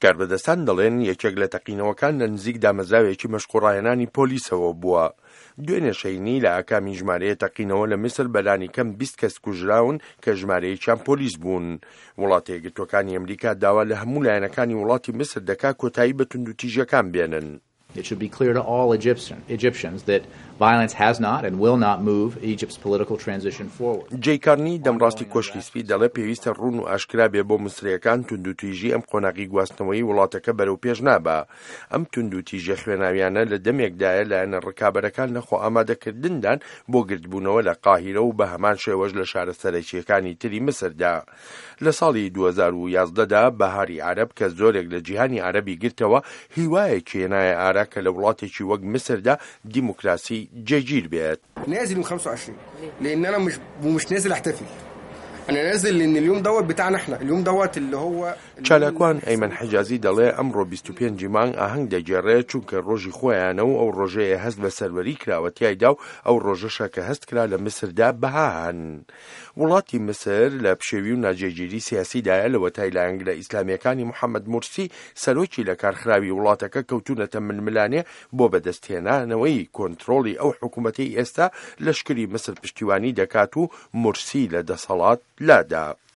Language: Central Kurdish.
کاربەدەستان دەڵێن یەکێک لە تەقینەوەکان لە نزیک دامەزراوێکی مەشق و ڕاهێنانی پۆلیسەوە بووە. دوێنێ شەینی لە ئاکامی ژمارەیە تەقینەوە لە میسر بەلانی کەم 20 کەس کوژراون کە ژمارەیەکیان پۆلیس بوون. وڵاتە یەکگرتووەکانی ئەمریکا داوا لە هەموو لایەنەکانی وڵاتی میسر دەکا کۆتایی بە توندوتیژیەکان بێنن. It should be clear to all Egyptians that violence has not and will not move Egypt's political transition forward. جەی کارنی، دەمڕاستی کۆشکی سپی دەڵێ پێویستە ڕوون و ئاشکرا بێ بۆ میسرییەکان توندوتیژی ئەم قۆناغی گواستنەوەی وڵاتەکە بەرەو پێش نابا. ئەم توندوتیژیە خوێناویانە لە دەمێکدایە لایەنە ڕکابەرەکان لە خۆئامادەکردندان بۆ گردبوونەوە لە قاهیرە و بە هەمان شێوەش لە شارە سەرەکییەکانی تری میسردا. لە ساڵی 2011 دا بەهاری عەرەب کە زۆرێک لە جیهانی عەرەبی گرتەوە، هیوایەکی هێنایە ئارا کە لە وڵاتێکی وەک میسردا دیموکراسی جێگیر بێت. نازل يوم 25 لان انا مش ومش نازل احتفل انا نازل لان اليوم دوت بتاعنا احنا اليوم دوت اللي هو چالاکوان ئەیمەن حیجازی دەڵێ ئەمڕۆ 25 ی مانگ ئاهەنگ دەگێڕێ چونکە ڕۆژی خۆیانە و ئەو ڕۆژەیە هەست بە سەروەری کراوە تیایدا و ئەو ڕۆژەشە کە هەست کرا لە میسردا بەها هەن. وڵاتی میسر لە پشێوی و ناجێگیری سیاسیدایە لەوەتای لایەنگرە ئیسلامییەکانی محەمەد مورسی سەرۆکی لەکارخراوی وڵاتەکە کەوتوونەتە ململانێ بۆ بەدەستهێنانەوەی کۆنترۆڵی ئەو حکومەتەی ئێستا لەشکری میسر پشتیوانی دەکات و مورسی لە دەسەڵات لادا.